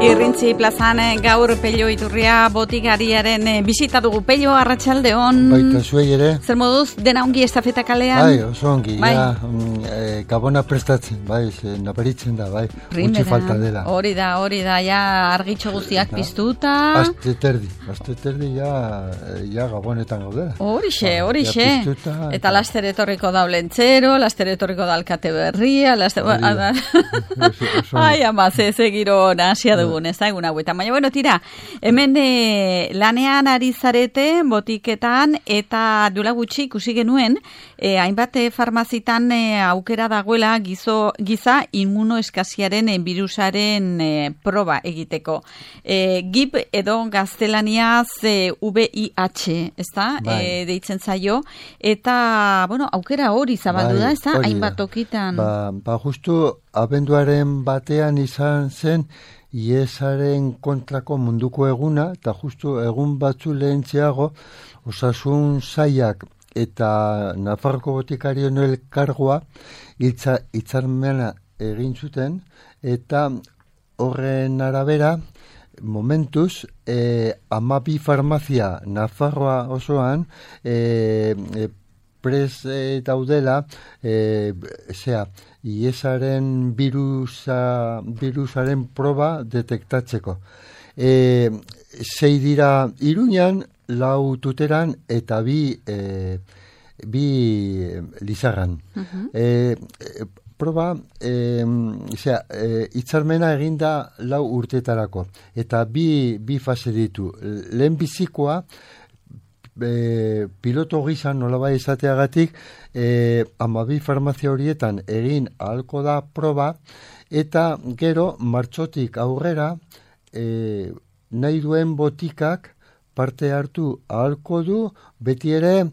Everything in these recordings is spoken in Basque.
Irrintzi plazan gaur Pello Iturria botikariaren bisita dugu. Pello, arratsaldeon. Baita zuei ere. Zer moduz, dena ongi estafeta kalean? Bai, oso ongi, bai. Gabona prestatzen, bai, nabaritzen da, bai, gutxi falta dela. Hori da, ja argitxo guztiak piztuta. Aste terdi, ja gabonetan gaudela. Horixe. Eta laster etorriko da Olentzero, laster etorriko da Alkate Berria, ai, ama, ze giro nasia dugun, ez da egun hauetan. Baina, bueno, tira, hemen lanean ari zarete, botiketan, eta duela gutxi ikusi genuen, hainbat farmazitan aukera dagoela giza immunoeskaziaren birusaren proba egiteko. GIP edo gaztelaniaz VIH, ez da, deitzen zaio, eta, bueno, aukera hori zabaldu da, ez da, hainbat tokitan. Ba, justu, abenduaren batean izan zen IESaren kontrako munduko eguna, eta justu egun batzu lehentxeago Osasun Sailak eta Nafarroko Botikarien Elkargoa hitzarmena egin zuten, eta horren arabera momentuz 12 farmazia Nafarroa osoan daudela IESaren virusaren proba detektatzeko. 6 dira Iruñan, 4 Tuteran eta 2 Lizarran. Proba, hitzarmena eginda 4 urteetarako, eta bi fase ditu. Lehen bizikoa, piloto gisa nolabait izateagatik 12 farmazia horietan egin ahalko da proba, eta gero martxotik aurrera nahi duen botikak parte hartu ahalko du, beti ere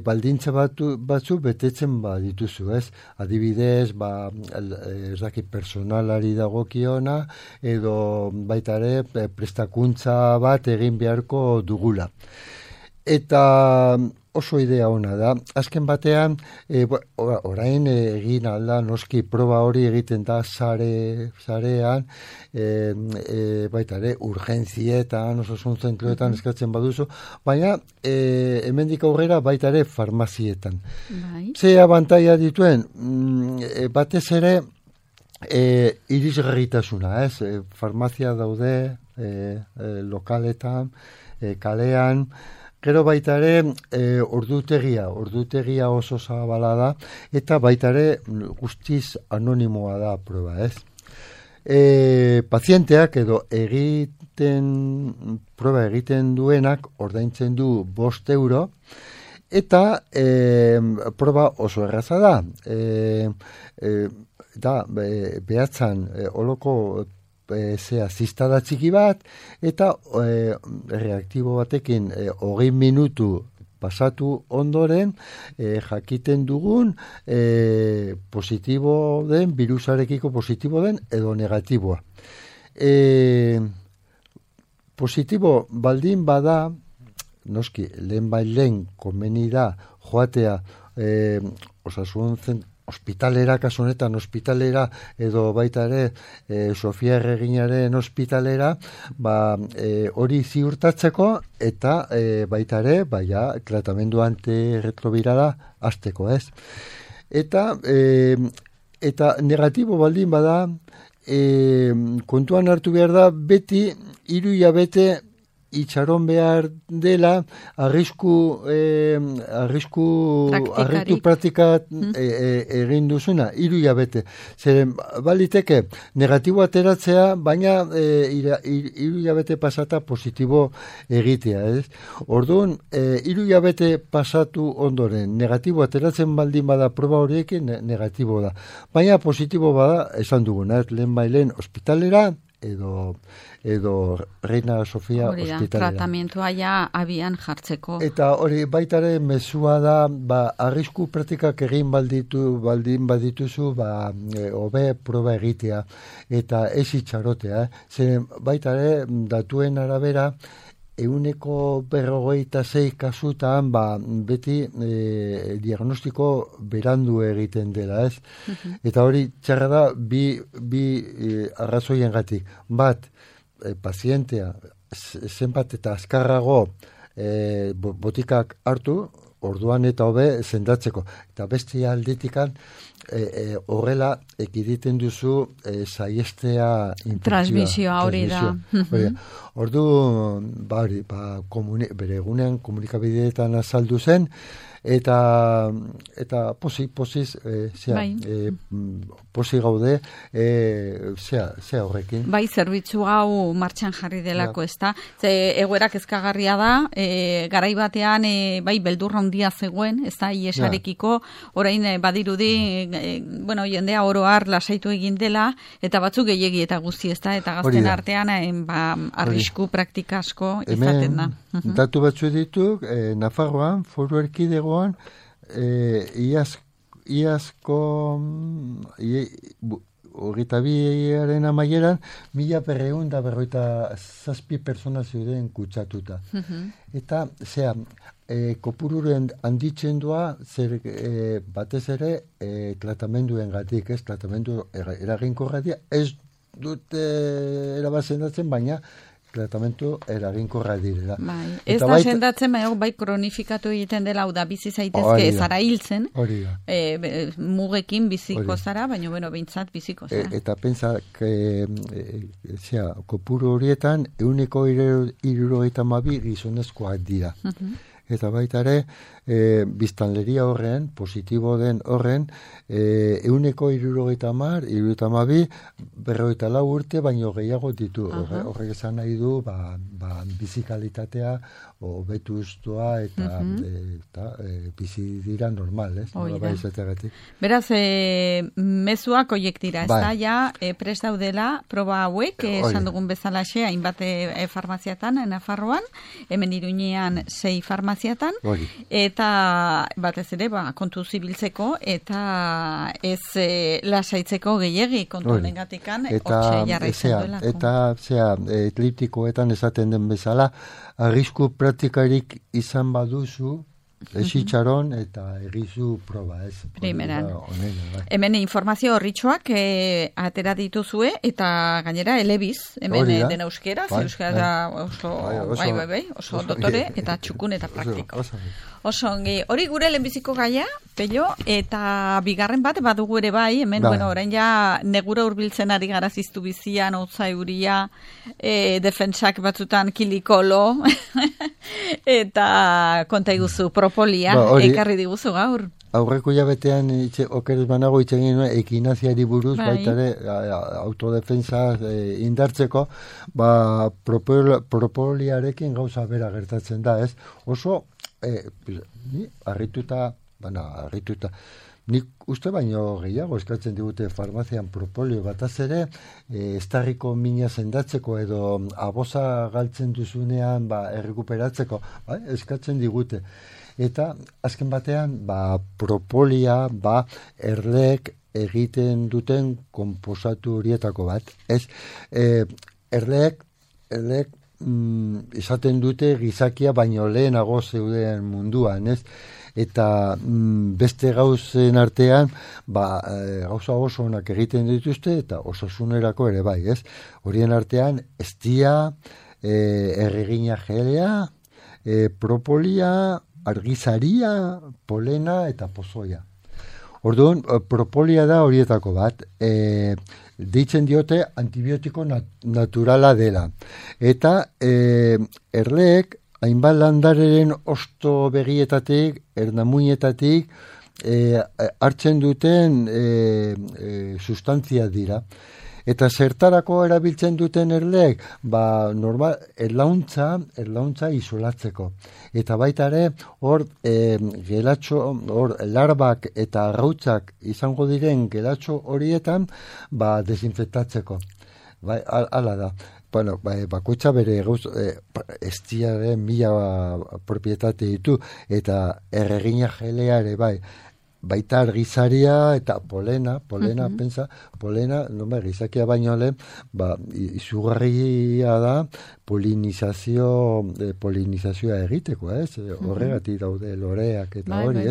baldintza batzu betetzen dituzu, ez? Adibidez, ez dakit personalari dagokiona, edo baita ere prestakuntza bat egin beharko dugula. Eta oso idea ona da. Azken batean, orain egin alda, noski proba hori egiten da sarean, baita ere, urgentzietan, osasun zentroetan eskatzen baduzu, baina hemendik aurrera baita ere farmazietan. Ze abantaila dituen, batez ere, irisgarritasuna, ez? Farmazia daude, lokaletan, kalean, gero baita ere ordutegia oso zabala da, eta baita ere guztiz anonimoa da proba, ez? Pazienteak edo proba egiten duenak ordaintzen du 5 euro, eta proba oso erraza da. Behatzan oloko zistada txiki bat, eta reaktibo batekin 20 minutu pasatu ondoren jakiten dugun positibo den, virusarekiko positibo den edo negatiboa. Positibo baldin bada, noski, lehen komeni da joatea osasun ospitalera, kasu honetan ospitalera, edo baita ere Sofia Erreginaren ospitalera, hori ziurtatzeko, eta baita ere, tratamendu antirretrobirala hasteko, ez? Eta negatibo baldin bada, kontuan hartu behar da, beti 3 hilabete itxaron behar dela arrisku praktikat egin duzuna, 3 hilabete. Zeren, baliteke, negatibo ateratzea, baina 3 hilabete pasata positibo egitea, ez? Orduan, 3 hilabete pasatu ondoren, negatibo ateratzen baldin bada proba horiekin, negatibo da. Baina positibo bada, esan duguna, lehen ospitalera, edo Reina Sofia ospitalera. Tratamentua ja abian jartzeko. Eta hori baitare mezua da, arrisku praktikak egin baldin badituzu, hobe proba egitea, eta ez itxarotea. Zeren baitare datuen arabera, 156 kasutan, beti diagnostiko berandu egiten dela, ez? Eta hori txarra da bi arrazoiengatik. Bat, pazientea zenbat eta azkarrago botikak hartu, orduan eta hobe sendatzeko. Eta beste aldetikan horrela ekiditen duzu saiestea transmisioa hori da. Ordu bere egunean komunikabideetan azaldu zen, eta posiz posi gaude zea horrekin. Bai, zerbitzu hau martxan jarri delako, ezta? Ze egoerak ezkagarria da, garai batean bai beldurra handia zegoen, ezta, iesarekiko, orain badirudi jendea oro har lasaitu egin dela, eta batzuk gehiegi eta guzti, ezta, eta gazten artean arrisku praktika asko izaten da. Datu batzu dituk, Nafarroan, Foru Erkidegoan, iazko hogeita biaren amaieran 1.257 persona zeuden kutsatuta. Eta, kopururen handitzen doa, batez ere, tratamenduen gatik, ez, tratamendu eraginkorratia, ez dute erabazendatzen, baina tratamentu eraginkorra direla. Ez da sendatzen, bai kronifikatu egiten dela, hau da, bizi zaitezke, zara hiltzen, mugekin biziko zara, baina, behintzat biziko zara. Eta pentsa, kopuru horietan, 172 gizonezkoak dira. Eta baita ere, biztanleria horren, positibo den horren, 172, 54 urte, baino gehiago ditu. Horrek esan nahi du, bizikalitatea, betuztua eta bizi dira normal, ez? Beraz, mezuak oiek dira, ez da, ja, prest daudela, proba hauek, esan dugun bezalaxe, hainbat farmaziatan, Nafarroan, hemen Iruñean 6 farmaziatan, eta batez ere, kontu zibiltzeko, eta ez lasaitzeko gehiegi kontu negatikan, hortxe jarraitzen duela. Eta, ekliptikoetan esaten den bezala, arrisku praktikarik izan baduzu, esitxaron eta egizu proba, ez? Primeran. Hemen informazio horritxoak atera dituzue, eta gainera elebiz, hemen den euskera, euskera oso dotore, eta txukun eta praktiko. Oso ongi, hori gure lehenbiziko gaia, Pello, eta bigarren bat badugu ere bai, hemen, orain ja negura hurbiltzen ari gara ziztu bizian, hotza euria, defentsak batzutan kilikolo, eta konta iguzu, propolia, ekarri diguzu gaur. Aurreko jabetean, okeres banago itxegin ekinaziari buruz, baita ere, autodefensa indartzeko, propoliarekin gauza bera gertatzen da, ez? Oso, harrituta, nik uste baino gehiago eskatzen digute farmazian propolio bataz ere, estarriko mina sendatzeko edo aboza galtzen duzunean errekuperatzeko, eskatzen digute. Eta azken batean, propolia, erleek egiten duten konposatu horietako bat. Ez, erleek izaten dute gizakia baino lehenago zeuden munduan, ez? Eta beste gauzen artean, gauza oso onak egiten dituzte, eta osasunerako ere bai, ez? Horien artean, estia, erregina gelea, propolia, argizaria, polena eta pozoia. Orduan, propolia da horietako bat, deitzen diote antibiotiko naturala dela. Eta erleek, hainbat landareren osto begietatik, ernamuinetatik, hartzen duten sustantzia dira. Eta zertarako erabiltzen duten erleek, normal, erlauntza isolatzeko. Eta baita ere, hor larbak eta arrautzak izango diren gelatxo horietan, desinfektatzeko. Hala da. Bueno, bakoitza bere estiaren 1000 propietate ditu, eta erregina gelea ere bai. baita argizaria eta polena, pensa, polena, gizakia baino lehen, izugarria da polinizazioa egiteko, horregatik daude loreak eta hori,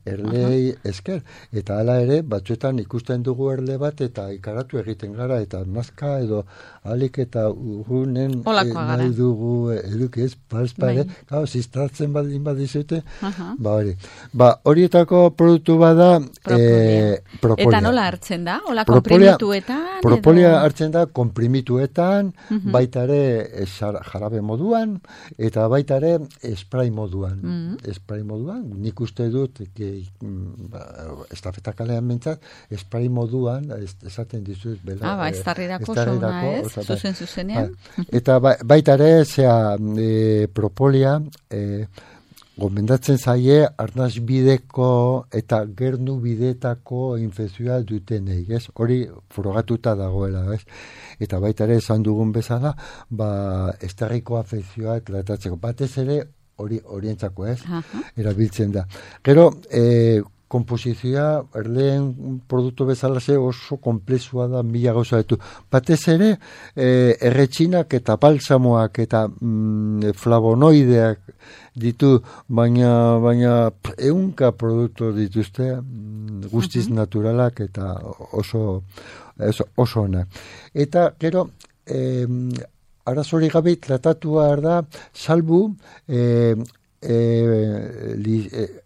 erlei esker, eta hala ere, batzuetan ikusten dugu erle bat, eta ikaratu egiten gara, eta nazka edo alik eta urrunen nahi dugu eduki ez, gau, ziztratzen badizute, hori. Horietako produktu bada propolia. Eta nola hartzen da? Ola komprimituetan? Propolia hartzen da komprimituetan, baita ere jarabe moduan, eta baita ere spray moduan. Spray moduan, nik uste dut, estafeta kalean mentzat, spray moduan, esaten dizuz, bela. Estarrirako zona ez, zuzenean. Eta baita ere, propolia, gomendatzen zaie, arnaz bideko eta gernu bidetako infekzioa dutenei, ez? Hori frogatuta dagoela, ez? Eta baita ere, esan dugun bezala, estarriko afekzioa tratatzeko. Batez ere, horientzako ez, erabiltzen da. Gero, komposizioa, erleen produktu bezala oso komplexua da, mila gauza ditu. Batez ere, erretxinak eta balsamoak eta flavonoideak ditu, baina ehunka produktu dituzte, guztiz naturalak eta oso onak. Eta, gero, arazori gabe tratatua da, salbu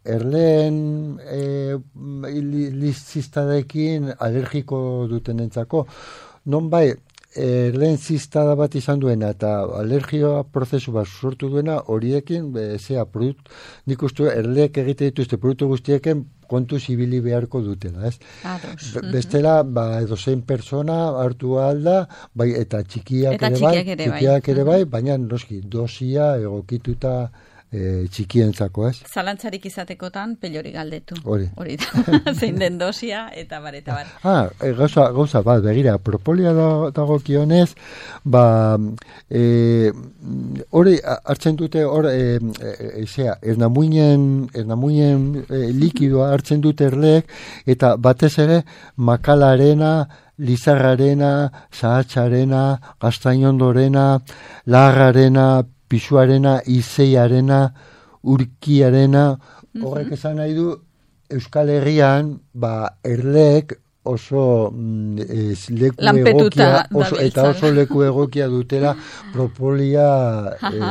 erleen lizistadekin alergiko dutenentzako. Non bai, erleen zistada bat izan duena eta alergioa prozesu bat sortu duena, horiekin, nik uste erleek egite dituzte produktu guztiekin kontu zibili beharko dutela, ez? Bestela, edozein persona hartu alda, eta txikiak ere bai, baina noski, dosia egokituta txikientzako, ez? Zalantzarik izatekotan pelori galdetu. Hori da. Zein den dosia eta bar. Gauza bat, begira, propolia dagokionez, hori hartzen dute, ernamuinen likidoa hartzen dute erleek, eta batez ere, makalarena, lizarrarena, zahatxarena, gaztainondorena, lagarrarena, pisuarena, izeiarena, urkiarena, horrek esan nahi du, Euskal Herrian, erleek oso leku egokia, eta oso leku egokia dutela propolia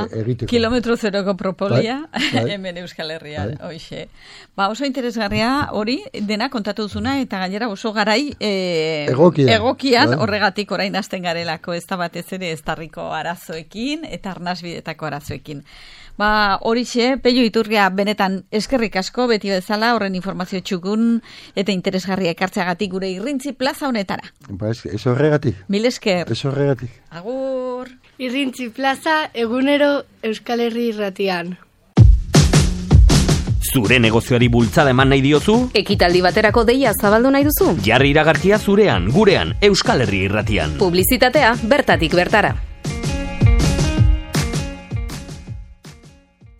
egiteko. Kilometro zeroko propolia, hemen Euskal Herrian, hoxe. Oso interesgarria hori, dena kontatu duzuna, eta gainera oso garai egokian, horregatik orain hasten garelako, ez da batez ere estarriko arazoekin, eta arnasbidetako arazoekin. Horixe, Pello Iturria benetan eskerrik asko, beti bezala, horren informazio txukun eta interesgarria ekartzeagatik gure Irrintzi Plaza honetara. Ez horregatik. Mil esker. Ez horregatik. Agur. Irrintzi Plaza, egunero Euskal Herri irratian. Zure negozioari bultzada eman nahi diozu? Ekitaldi baterako deia zabaldu nahi duzu? Jarri iragarkia zurean, gurean, Euskal Herri irratian. Publizitatea bertatik bertara.